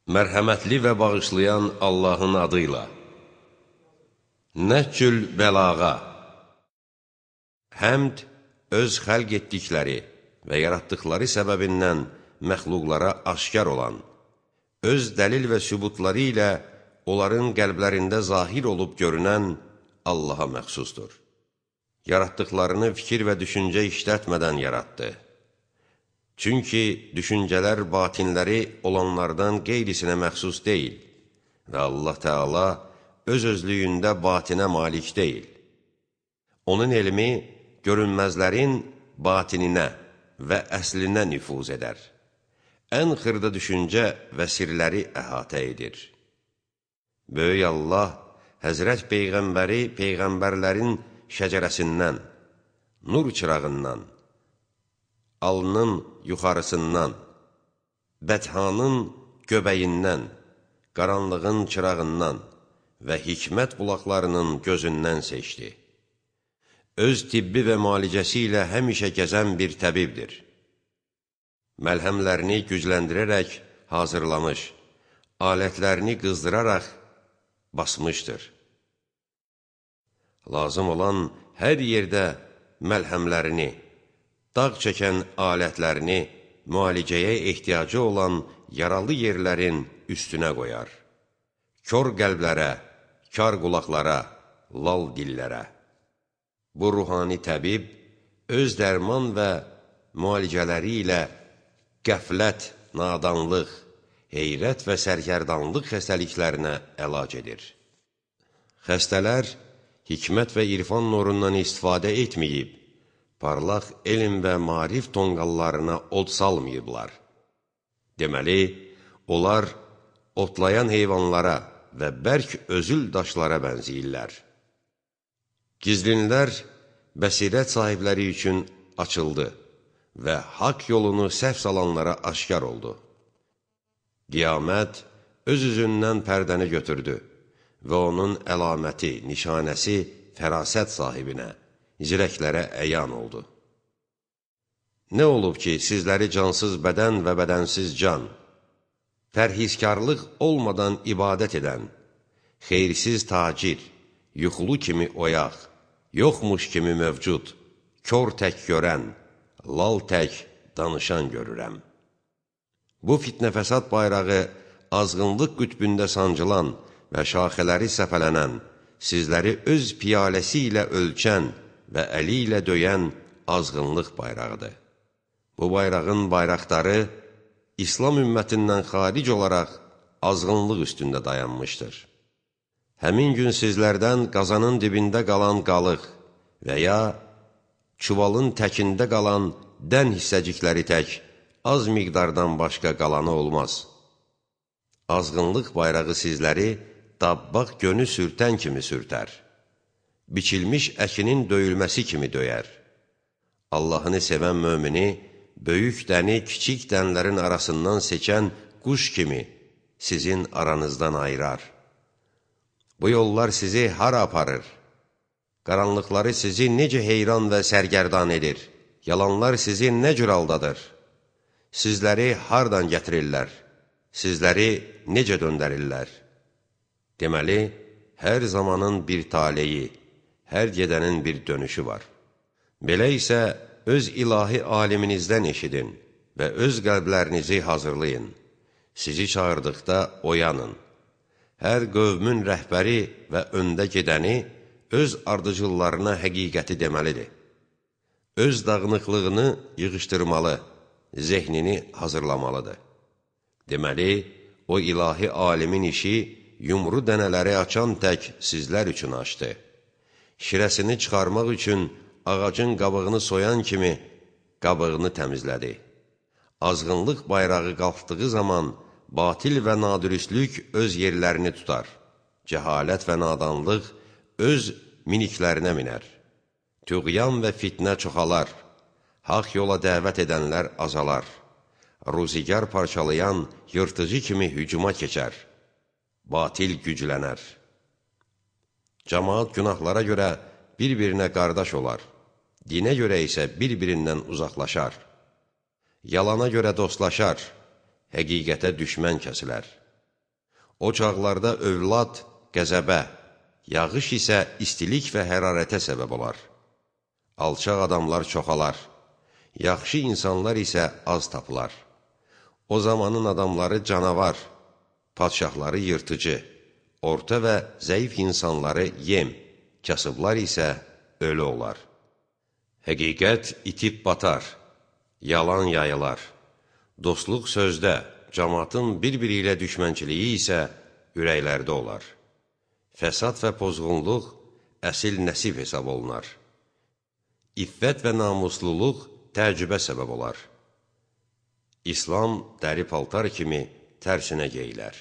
Mərhəmətli və bağışlayan Allahın adıyla. Nəhcül bəlağa. Həmd, öz xəlq etdikləri və yaratdıqları səbəbindən məxluqlara aşkar olan, öz dəlil və sübutları ilə onların qəlblərində zahir olub görünən Allaha məxsusdur. Yaratdıqlarını fikir və düşüncə işlətmədən yaratdı. Çünki düşüncələr batinləri olanlardan qeyrisinə məxsus deyil və Allah Teala öz-özlüyündə batinə malik deyil. Onun elmi görünməzlərin batininə və əslinə nüfuz edər. Ən xırda düşüncə və sirləri əhatə edir. Böyük Allah Həzrət Peyğəmbəri Peyğəmbərlərin şəcərəsindən, nur çırağından, alnın yuxarısından, bəthanın göbəyindən, qaranlığın çırağından və hikmət bulaqlarının gözündən seçdi. Öz tibbi və müalicəsi ilə həmişə gəzən bir təbibdir. Məlhəmlərini gücləndirərək hazırlamış, alətlərini qızdıraraq basmışdır. Lazım olan hər yerdə məlhəmlərini, dağ çəkən alətlərini müalicəyə ehtiyacı olan yaralı yerlərin üstünə qoyar. Kör qəlblərə, kar qulaqlara, lal dillərə. Bu ruhani təbib öz dərman və müalicələri ilə qəflət, nadanlıq, heyrət və sərgərdanlıq xəstəliklərinə əlac edir. Xəstələr hikmət və irfan nurundan istifadə etməyib, parlaq elm və marif tonqallarına od salmayıblar. Deməli, onlar otlayan heyvanlara və bərk özül daşlara bənziyirlər. Gizlinlər bəsirət sahibləri üçün açıldı və haqq yolunu səhv salanlara aşkar oldu. Qiyamət öz-üzündən pərdəni götürdü və onun əlaməti, nişanəsi fərasət sahibinə, zirəklərə əyan oldu. Nə olub ki, sizləri cansız bədən və bədənsiz can, pərhizkarlıq olmadan ibadət edən, xeyirsiz tacir, yuxulu kimi oyaq, yoxmuş kimi mövcud, kör tək görən, lal tək danışan görürəm. Bu fitnə fəsad bayrağı azğınlıq qütbündə sancılan və şaxələri səpələnən, sizləri öz piyaləsi ilə ölçən və əli ilə döyən azğınlıq bayrağıdır. Bu bayrağın bayraqları İslam ümmətindən xaric olaraq azğınlıq üstündə dayanmışdır. Həmin gün sizlərdən qazanın dibində qalan qalıq və ya çuvalın təkində qalan dən hissəcikləri tək az miqdardan başqa qalanı olmaz. Azğınlıq bayrağı sizləri dabbaq gönü sürtən kimi sürtər. Biçilmiş əkinin döyülməsi kimi döyər. Allahını sevən mömini, böyük dəni kiçik dənlərin arasından seçən quş kimi sizin aranızdan ayırar. Bu yollar sizi hara aparır? Qaranlıqları sizi necə heyran və sərgərdan edir? Yalanlar sizi nə cür aldadır? Sizləri hardan gətirirlər? Sizləri necə döndərirlər? Deməli, hər zamanın bir taleyi, hər gedənin bir dönüşü var. Belə isə öz ilahi aliminizdən eşidin və öz qəlblərinizi hazırlayın. Sizi çağırdıqda oyanın. Hər qövmün rəhbəri və öndə gedəni öz ardıcıllarına həqiqəti deməlidir. Öz dağınıqlığını yığışdırmalı, zehnini hazırlamalıdır. Deməli, o ilahi alimin işi yumru dənələri açan tək sizlər üçün açdı. Şirəsini çıxarmaq üçün ağacın qabığını soyan kimi qabığını təmizlədi. Azğınlıq bayrağı qalxdığı zaman batil və nadürüstlük öz yerlərini tutar. Cəhalət və nadanlıq öz miniklərinə minər. Tüğyan və fitnə çoxalar. Haq yola dəvət edənlər azalar. Ruzigar parçalayan yırtıcı kimi hücuma keçər. Batil güclənər. Cəmaat günahlara görə bir-birinə qardaş olar. Dinə görə isə bir-birindən uzaqlaşar. Yalana görə dostlaşar. Həqiqətə düşmən kəsilər. O çağlarda övlad qəzəbə, yağış isə istilik və hərarətə səbəb olar. Alçaq adamlar çoxalar, yaxşı insanlar isə az tapılar. O zamanın adamları canavar, padşahları yırtıcı, orta və zəif insanları yem, kasıblar isə ölü olar. Həqiqət itib batar, yalan yayılar. Dostluq sözdə, cəmaatın bir-biri ilə düşmənçiliyi isə ürəklərdə olar. Fəsad və pozğunluq əsil nəsib hesab olunar. İffət və namusluluq təəccübə səbəb olar. İslam dəri paltar kimi tərsinə geyilər.